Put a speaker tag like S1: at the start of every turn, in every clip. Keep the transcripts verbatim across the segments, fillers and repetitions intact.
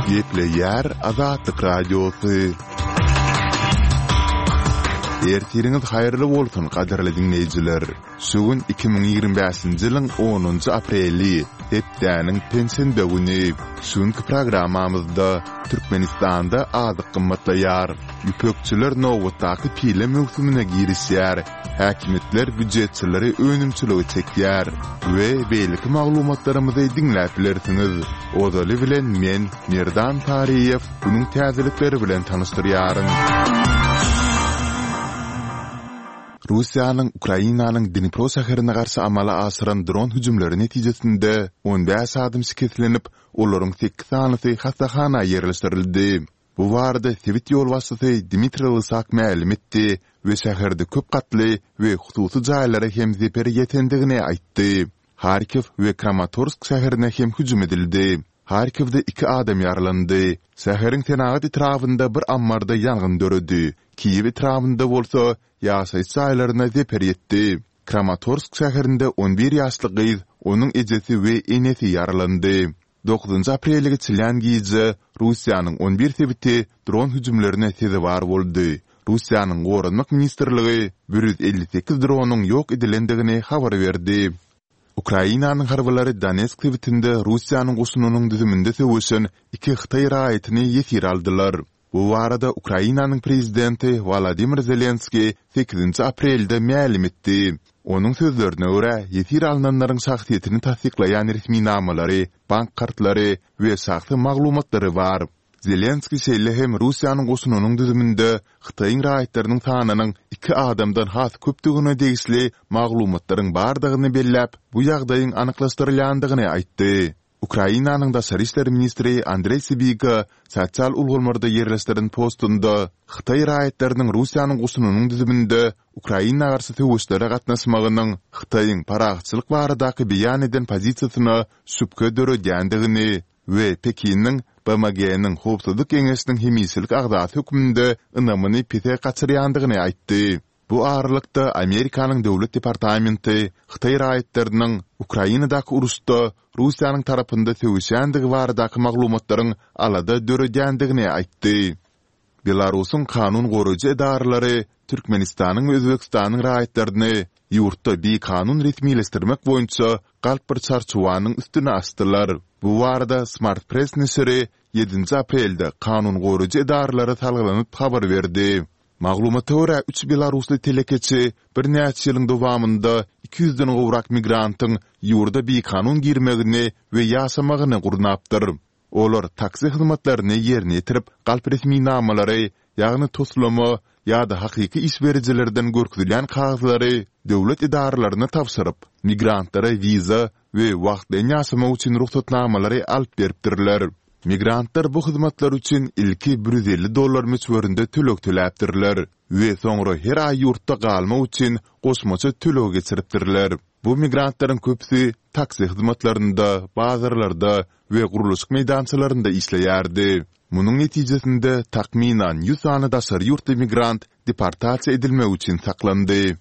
S1: Gepleýär Azatlyk Radiosy. Ertiriňiz haýyrly bolsun, gadyrly diňleýjiler! Şu gün iki müň ýigrimi bäşinji ýylyň onunjy apreli, hepdäniň penşenbe güni. Şu günki programmamyzda Türkmenistanda azyk gymmatlaýar, ýüpekçiler nobatdaky pile möwsümine girişýär, häkimiýetler býujetçileri önümçilige çekýär we beýleki maglumatlarymyzy diňläp bilersiňiz. Ozaly bilen men, Merdan Taryýew, günüň täzelikleri bilen tanyşdyrýaryn. Russiýanyň Ukrainanyň Dnipro şäherine garşy amala aşyran dron hüjümleri netijesinde on bäş adam şikeslenip, olaryň sekiz sanysy hassahana ýerleşdirildi. Bu barada sebit ýolbaşçysy Dmitriý Lysak mälim etdi we şäherde köp gatly we hususy jaýlara hem zeper ýetendigini aýtdy. Harkiw we Kramatorsk şäherine hem hüjüm edildi. Harkiwde iki adam ýaralandy. Şäheriň senagat etrabynda bir ammarda ýangyn döredi. Kiýew etrabynda bolsa ýaşaýyş jaýlaryna zeper ýetdi. Kramatorsk şäherinde on bir ýaşly gyz, onuň ejesi we enesi ýaralandy. Dokuzynjy aprelde geçilýän gije Russiýanyň on bir sebiti dron hüjümlerine sezewar boldy. Russiýanyň Goranmak ministrligi bir ýüz elli sekiz dronyň ýok edilendigini habar berdi. Ukrainanyň harbylary Donetsk sebitinde Russiýanyň goşunynyň düzüminde söweşen iki hytaý raýatyny ýesir aldylar. Bu barada Ukrainanyň prezidenti Wolodymyr Zelenskiý sekizinji aprelde mälim etdi. Onuň sözlerine görä, ýesir alnanlaryň şahsyýetini tassyklaýan resminamalary, bank kartlary we şahsy maglumatlary bar. Zelenskiý şeýle hem Russiýanyň goşunynyň düzüminde Hytaýyň raýatlarynyň sanynyň iki adamdan has köpdügine degişli maglumatlaryň bardygyny belläp, bu ýagdaýyň anyklaşdyrylýandygyny aýtdy. Ukrainanyň daşary işler ministri Andreý Sibiga sosial ulgamlarda ýerleşdiren postunda hytaý raýatlarynyň Russiýanyň goşunynyň düzüminde Ukraina garşy söweşlere gatnaşmagynyň Hytaýyň parahatçylyk baradaky beýan eden pozisiýasyna şübhe döredýändigini we Pekiniň BMG-niň Howpsuzlyk Geňeşiniň hemişelik agzasy hökmünde ynamyny pese gaçyrýandygyny aýtdy. Bu aralykda, Amerikanyň Döwlet departamenti hytaý raýatlarynyň Ukrainadaky uruşda Russiýanyň tarapynda söweşýändigi baradaky maglumatlaryň alada döredýändigini aýtdy. Belarusyň kanun goraýjy edaralary Türkmenistanyň we Özbegistanyň raýatlaryny ýurtda bikanun resmileşdirmek boýunça galp bir çarçuwanyň üstüni açdylar. Bu barada Smart Press neşiri ýedinji aprelde kanun goraýjy edaralara salgylanyp habar berdi. Maglumata görä, üç belarusly telekeçi birnäçe ýylyň dowamynda iki ýüzden gowrak migrantyň ýurda bikanun girmegini we ýaşamagyny gurnapdyr. Olar taksi hyzmatlaryny ýerine ýetirip, galp resminamalary, ýagny toslama ýa-da hakyky iş berijilerden görkezilýän kagyzlary döwlet edaralaryna tabşyryp, migrantlara wiza we wagtlaýyn ýaşamak üçin rugsatnamalary alyp beripdirler. Migrantlar bu hyzmatlar üçin ilki bir ýüz elli dollar möçberinde töleg töläpdirler we soňra her aý ýurtda galmak üçin goşmaça töleg geçiripdirler. Bu migrantlaryň köpüsi taksi hyzmatlarynda, bazarlarda we gurluşyk meýdançalarynda işleýärdi. Munuň netijesinde, takmynan ýüz sany daşary ýurtly migrant deportasiýa edilmek üçin saklandy.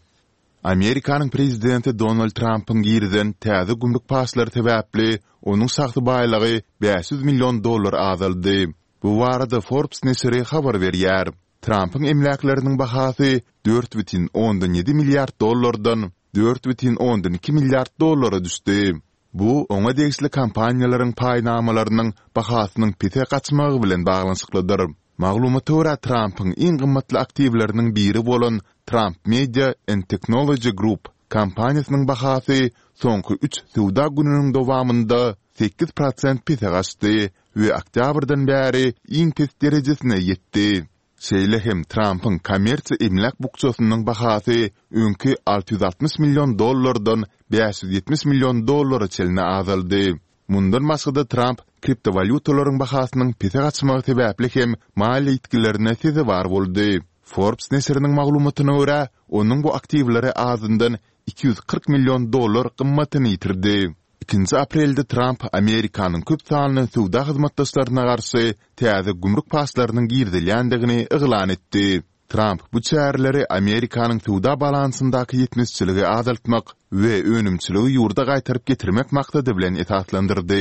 S1: Amerikanyň prezidenti Donald Trampyň girizen täze gümrük paçlary sebäpli onuň şahsy baýlygy bäş ýüz million dollar azaldy. Bu barada Forbes neşiri habar berýär. Trampyň emläkleriniň bahasy dört bütin ondan ýedi milliard dollardan dört bütin ondan iki milliard dollara düşdi. Bu oňa degişli kompaniýalaryň paýnamalarynyň bahasynyň pese gaçmagy bilen baglanyşyklydyr. Maglumata görä, Trampyň iň gymmatly aktiwleriniň biri bolan Trump Media and Technology Group kompaniýasynyň bahasy soňky üç söwda gününiň dowamynda sekiz prosent pese gaçdy we oktýabrdan bäri iň pes derejesine ýetdi. Şeýle hem Trampyň kommersiýa emläk bukjasynyň bahasy öňki alty ýüz altmyş million dollardan bäş ýüz ýetmiş million dollara çenli azaldy. Mundan başga-da Tramp kriptowalýutalaryň bahasynyň pese gaçmagy sebäpli hem maliýe ýitgilerine sezewar boldy. Forbes neşiriniň maglumatyna görä, onuň bu aktiwleri azyndan iki ýüz kyrk million dollar gymmatyny ýitirdi. Ikinji aprelde Tramp Amerikanyň köp sanly söwda hyzmatdaşlaryna garşy täze gümrük paçlarynyň girizilýändigini yglan etdi. Tramp bu çäreleri Amerikanyň söwda balansyndaky ýetmezçiligi azaltmak we önümçiligi ýurda gaýtaryp getirmek maksady bilen esaslandyrdy.